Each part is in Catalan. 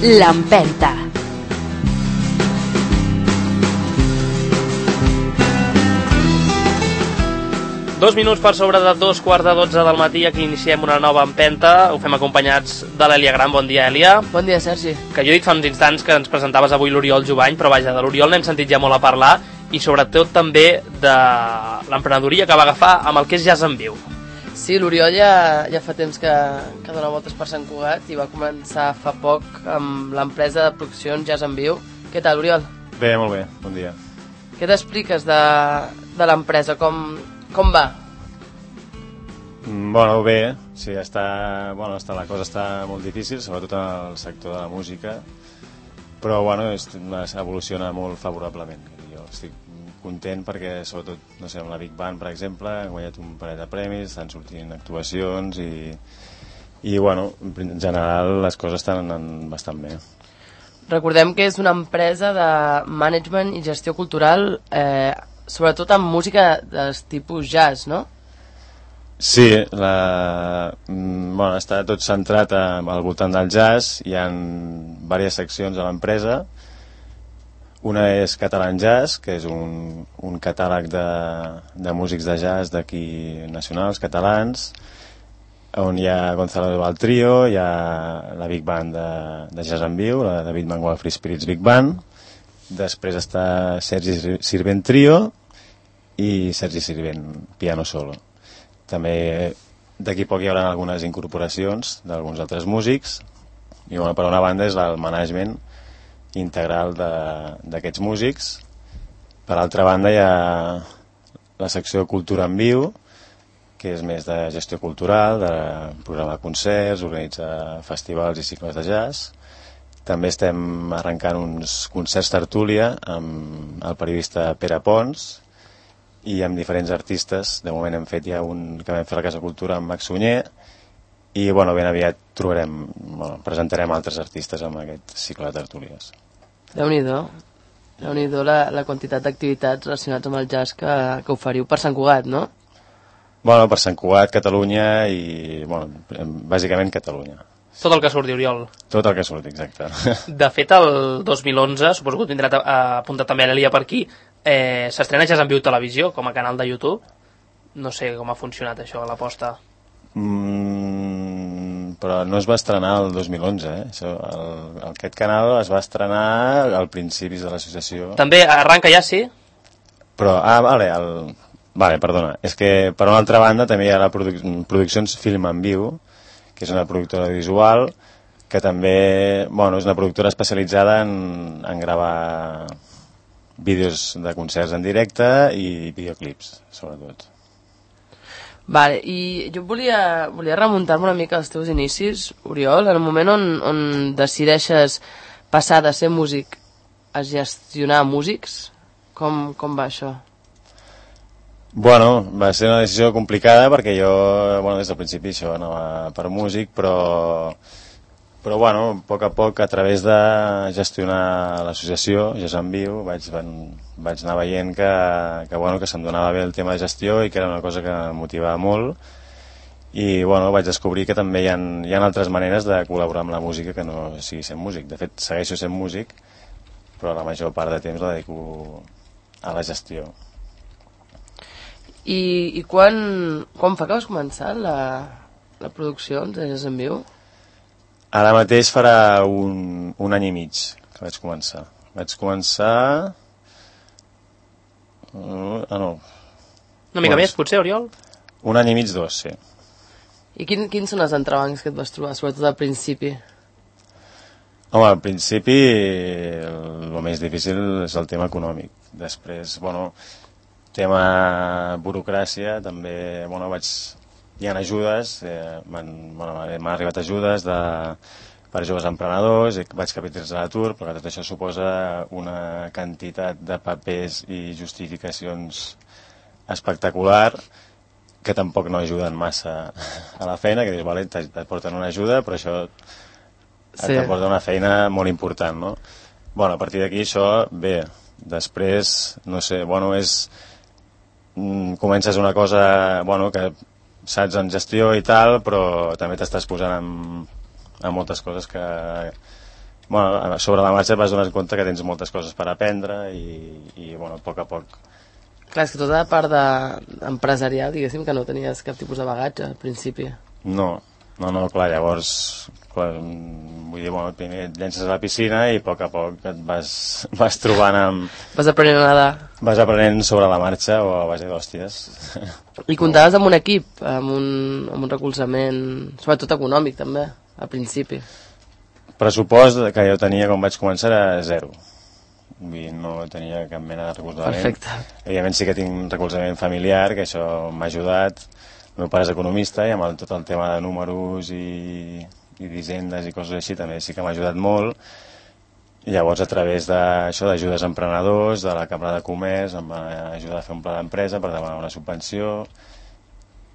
L'Empenta. Dos minuts per sobre de 2:15 del matí, aquí iniciem una nova empenta. Ho fem acompanyats de l'Èlia Gran. Bon dia, Èlia. Bon dia, Sergi. Que jo he dit fa uns instants que ens presentaves avui l'Oriol Jubany, però vaja, de l'Oriol n'hem sentit ja molt a parlar, i sobretot també de l'emprenedoria que va agafar amb el que és Jazz en Viu. Sí, l'Oriol ja fa temps que dona voltes per Sant Cugat i va començar fa poc amb l'empresa de produccions Jazz en Viu. Què tal, Oriol? Bé, molt bé, bon dia. Què t'expliques de l'empresa? Com va? Bueno, bé, sí, la cosa està molt difícil, sobretot en el sector de la música, però bueno, evoluciona molt favorablement. Jo estic content perquè, sobretot, no sé, amb la Big Band, per exemple, hem guanyat un parell de premis, estan sortint actuacions i bueno, en general les coses estan anant bastant bé. Recordem que és una empresa de management i gestió cultural, sobretot amb música de tipus jazz, no? Sí, està tot centrat al voltant del jazz. Hi ha diverses seccions a l'empresa. Una és Catalan Jazz, que és un catàleg de músics de jazz d'aquí nacionals, catalans, on hi ha Gonzalo del Trio, hi ha la Big Band de Jazz en Viu, la David Mangual Free Spirits Big Band. Després està Sergi Sirvent Trio i Sergi Sirvent Piano Solo. També d'aquí poc hi haurà algunes incorporacions d'alguns altres músics i per una banda és el management integral d'aquests músics. Per altra banda hi ha la secció Cultura en Viu, que és més de gestió cultural, de programar concerts, organitzar festivals i cicles de jazz. També estem arrencant uns concerts tertúlia amb el periodista Pere Pons i amb diferents artistes. De moment hem fet ja un que vam fer a la Casa Cultura amb Max Sunyer i ben aviat presentarem altres artistes amb aquest cicle de tertúlies. Déu-n'hi-do la quantitat d'activitats relacionats amb el jazz que oferiu per Sant Cugat, no? Per Sant Cugat, Catalunya i, bàsicament Catalunya. Tot el que surti, Oriol. Tot el que surti, exacte. De fet, el 2011, suposo que ho tindrà apuntat també l'Èlia per aquí, s'estrena Jazz en Viu Televisió com a canal de YouTube. No sé com ha funcionat això, l'aposta. Però no es va estrenar el 2011, aquest canal es va estrenar al principis de l'associació. També arranca ja, sí? Però, perdona, és que per una altra banda també hi ha la Produccions Film en Viu, que és una productora visual que també, és una productora especialitzada en gravar vídeos de concerts en directe i videoclips, sobretot. Vale, i jo volia remuntar-me una mica als teus inicis, Oriol, en el moment on decideixes passar de ser músic a gestionar músics. Com va això? Va ser una decisió complicada perquè jo, des del principi això anava per músic, però a poc a poc, a través de gestionar l'associació Jazz en Viu, vaig anar veient que se'm donava bé el tema de gestió i que era una cosa que em motivava molt i vaig descobrir que també hi ha altres maneres de col·laborar amb la música que no sigui sent músic. De fet, segueixo sent músic, però la major part de temps la dedico a la gestió. I quan fa que vas començar la producció de Jazz en Viu? Ara mateix farà un any i mig que vaig començar. Una mica més, potser, Oriol? Un any i mig, 2, sí. I quins són els entrebancs que et vas trobar, sobretot al principi? Home, al principi el més difícil és el tema econòmic. Després, tema burocràcia, també, hi ha ajudes, m'han arribat ajudes per joves emprenedors, vaig capitalitzar l'atur, però tot això suposa una quantitat de papers i justificacions espectacular que tampoc no ajuden massa a la feina, que dius, vale, t'aporten una ajuda, però això t'aporta una feina molt important, no? A partir d'aquí això, bé, després, no sé, comences una cosa, que saps en gestió i tal, però també t'estàs posant en moltes coses que bueno, sobre la marxa et vas donar compte que tens moltes coses per aprendre i bueno, a poc a poc. Clar, és que tota la part empresarial, diguéssim, que no tenies cap tipus de bagatge al principi. No, clar, llavors vull dir, bueno, primer et llences a la piscina i a poc et vas trobant amb... Vas aprenent a nedar. Vas aprenent sobre la marxa o a base d'hòsties. I comptaves amb un equip, amb un recolzament, sobretot econòmic també, al principi. Pressupost que jo tenia quan vaig començar era 0. Vull dir, no tenia cap mena de recolzament. Perfecte. Evidentment sí que tinc un recolzament familiar, que això m'ha ajudat. El meu pare és economista i amb tot el tema de números i d'hisendes i coses així també sí que m'ha ajudat molt. I llavors a través d'això d'ajudes a emprenedors, de la Cambra de Comerç, em va ajudar a fer un pla d'empresa per demanar una subvenció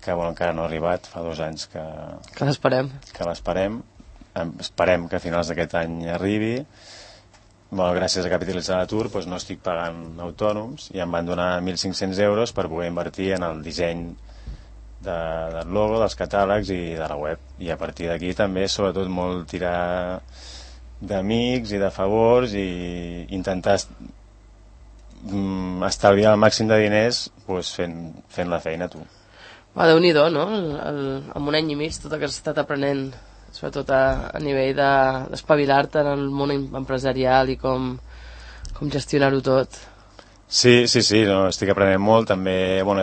que bueno, encara no ha arribat, fa 2 anys que l'esperem. Esperem que a finals d'aquest any arribi. Bueno, gràcies a capitalitzar l'atur doncs no estic pagant autònoms i em van donar 1.500 euros per poder invertir en el disseny del logo, dels catàlegs i de la web. I a partir d'aquí també, sobretot, molt tirar d'amics i de favors i intentar estalviar el màxim de diners doncs fent la feina tu. Déu-n'hi-do, no? En un any i mig tot el que has estat aprenent, sobretot a nivell d'espavilar-te en el món empresarial i com gestionar-ho tot. Sí, no, estic aprenent molt. També, bueno,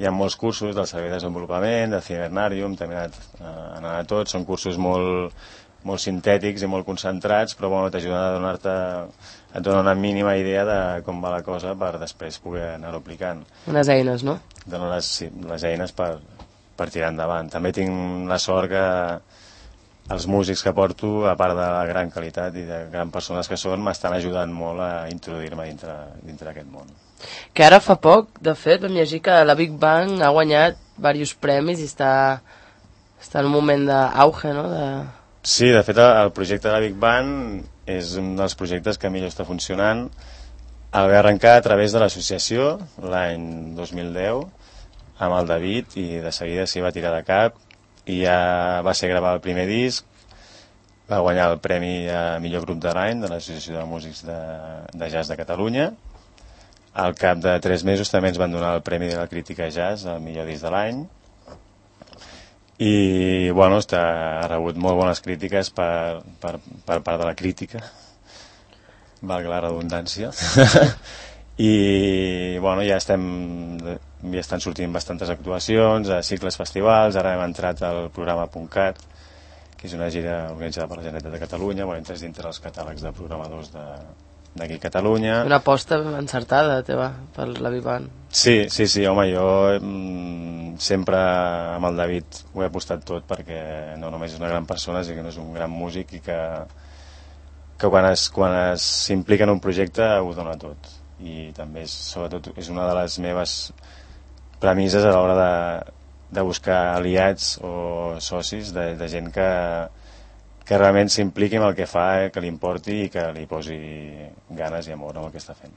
hi ha molts cursos del servei de desenvolupament, de Cibernarium, també he anat a tots, són cursos molt sintètics i molt concentrats, però bueno, t'ajuden a et donen una mínima idea de com va la cosa per després poder anar-ho aplicant. Unes eines, no? Donen les eines per tirar endavant. També tinc la sort que els músics que porto, a part de la gran qualitat i de grans persones que són, m'estan ajudant molt a introduir-me dintre d'aquest món. Que ara fa poc, de fet, vam llegir que la Big Bang ha guanyat diversos premis i està en un moment d'auge, no? Sí, de fet, el projecte de la Big Bang és un dels projectes que millor està funcionant. El va arrencar a través de l'associació l'any 2010 amb el David i de seguida s'hi va tirar de cap i ja va ser gravar el primer disc, va guanyar el premi a millor grup de l'any de l'Associació de Músics de Jazz de Catalunya. Al cap de 3 mesos també ens van donar el premi de la crítica jazz al millor disc de l'any i bueno, ha rebut molt bones crítiques per part de la crítica, valga la redundància. I bueno, ja estan sortint bastantes actuacions a cicles festivals. Ara hem entrat al programa .cat, que és una gira organitzada per la Generalitat de Catalunya. Bueno, entres dintre els catàlegs de programadors d'aquí a Catalunya. Una aposta encertada teva per la Big Band. Sí, home, jo sempre amb el David ho he apostat tot perquè no només és una gran persona, sinó que és un gran músic i que quan s'implica en un projecte ho dona tot. I també sobretot és una de les meves premisses a l'hora de buscar aliats o socis de gent que realment s'impliqui en el que fa, que li importi i que li posi ganes i amor en el que està fent.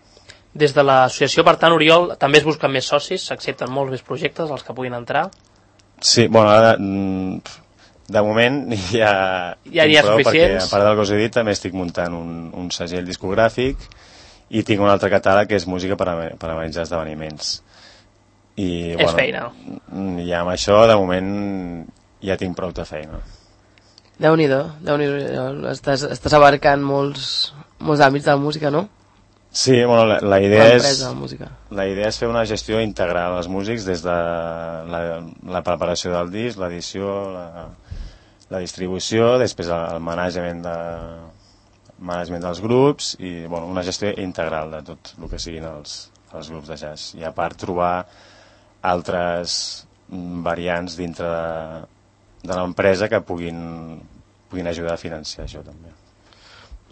Des de l'associació, per tant, Oriol, també es busquen més socis, s'accepten molts més projectes els que puguin entrar? Sí, bueno, ara de moment ja n'hi ha suficients. Perquè a part del que us he dit també estic muntant un segell discogràfic i tinc un altre catàleg que és música per organitzar esdeveniments. I, és feina. I amb això de moment ja tinc prou de feina. Déu-n'hi-do, estàs abarcant molts àmbits de la música, no? Sí, bueno, la idea és fer una gestió integral als músics des de la preparació del disc, l'edició, la distribució, després el management dels grups i bueno, una gestió integral de tot el que siguin els grups de jazz. I a part trobar altres variants dintre de l'empresa que puguin ajudar a financiar això també.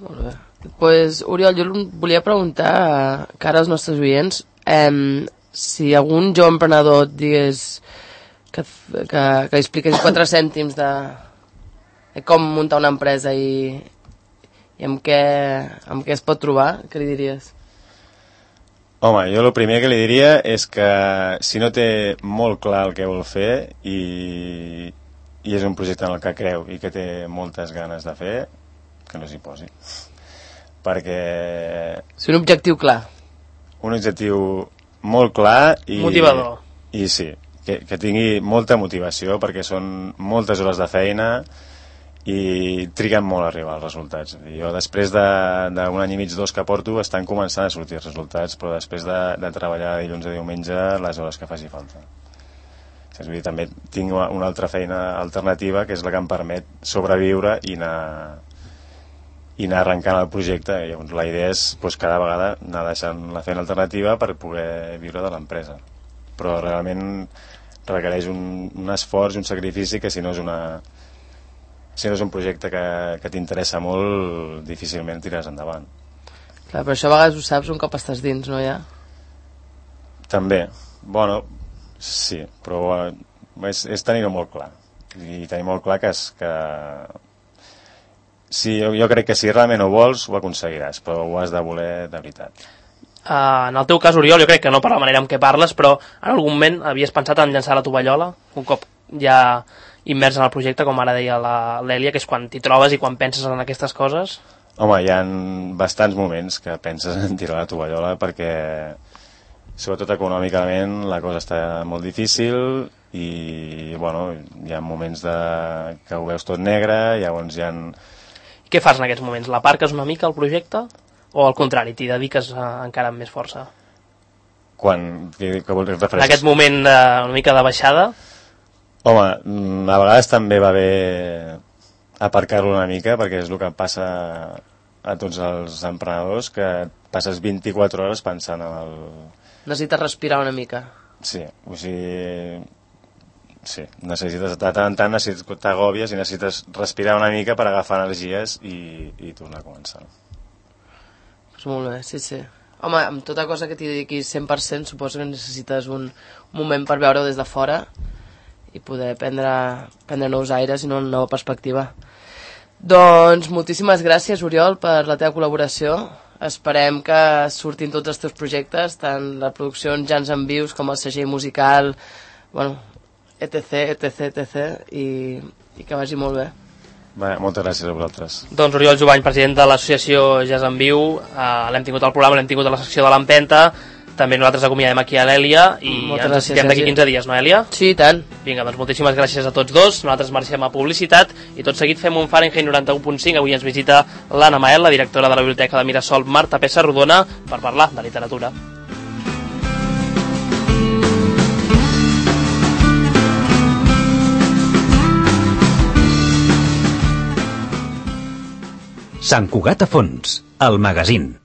Molt bé. Pues, Oriol, jo volia preguntar cara als nostres oients si algun jove emprenedor et digués que li expliqués 4 cèntims de com muntar una empresa i amb què es pot trobar, què li diries? Home, jo el primer que li diria és que si no té molt clar el que vol fer i és un projecte en el que creu i que té moltes ganes de fer, que no s'hi posi. Perquè... Sí, un objectiu clar. Un objectiu molt clar i... Motivador. I sí, que tingui molta motivació, perquè són moltes hores de feina i triguen molt a arribar als resultats. Jo després d'un any i mig, 2 que porto, estan començant a sortir els resultats, però després de treballar dilluns a diumenge les hores que faci falta. És a dir, també tinc una altra feina alternativa, que és la que em permet sobreviure i anar arrencant el projecte. I llavors la idea és cada vegada anar deixant la feina alternativa per poder viure de l'empresa. Però realment requereix un esforç i un sacrifici que si no és un projecte que t'interessa molt, difícilment tiraràs endavant. Clar, però això a vegades ho saps un cop estàs dins, no, ja? També. Bueno, sí, però és tenir-ho molt clar. I tenir molt clar que sí, jo crec que si realment ho vols, ho aconseguiràs, però ho has de voler de veritat. En el teu cas, Oriol, jo crec que no per la manera en què parles, però en algun moment havies pensat en llançar la tovallola, un cop ja immers en el projecte, com ara deia l'Èlia, que és quan t'hi trobes i quan penses en aquestes coses? Home, hi ha bastants moments que penses en tirar la tovallola, perquè sobretot econòmicament la cosa està molt difícil i bueno, hi ha moments que ho veus tot negre, llavors hi ha... Què fas en aquests moments? L'aparques una mica al projecte? O al contrari, t'hi dediques encara amb més força? Què vols referir? En aquest moment una mica de baixada? Home, a vegades també va bé aparcar-lo una mica, perquè és el que passa a tots els emprenedors, que passes 24 hores pensant en el... Necessites respirar una mica. Sí, o sigui... Sí, necessites, de tant en tant t'agòbies i necessites respirar una mica per agafar energies i tornar a començar. Pues molt bé, sí, sí. Home, amb tota cosa que t'hi dediquis 100%, suposo que necessites un moment per veure-ho des de fora i poder prendre nous aires i una nova perspectiva. Doncs moltíssimes gràcies, Oriol, per la teva col·laboració. Esperem que surtin tots els teus projectes, tant la producció en Jans en Vius com el segell musical, bueno, etc, i que vagi molt bé. Bé, moltes gràcies a vosaltres. Doncs Oriol Jubany, president de l'associació Jazz en Viu, l'hem tingut al programa, l'hem tingut a la secció de l'Empenta, també nosaltres acomiadem aquí a l'Èlia i ens sentirem d'aquí 15 dies, no, Èlia? Sí, i tant. Vinga, doncs moltíssimes gràcies a tots dos, nosaltres marxem a publicitat i tot seguit fem un Fahrenheit 91.5. Avui ens visita l'Anna Mael, la directora de la Biblioteca de Mirasol Marta Pessa Rodona, per parlar de literatura. Sant Cugat a Fons, el magazín.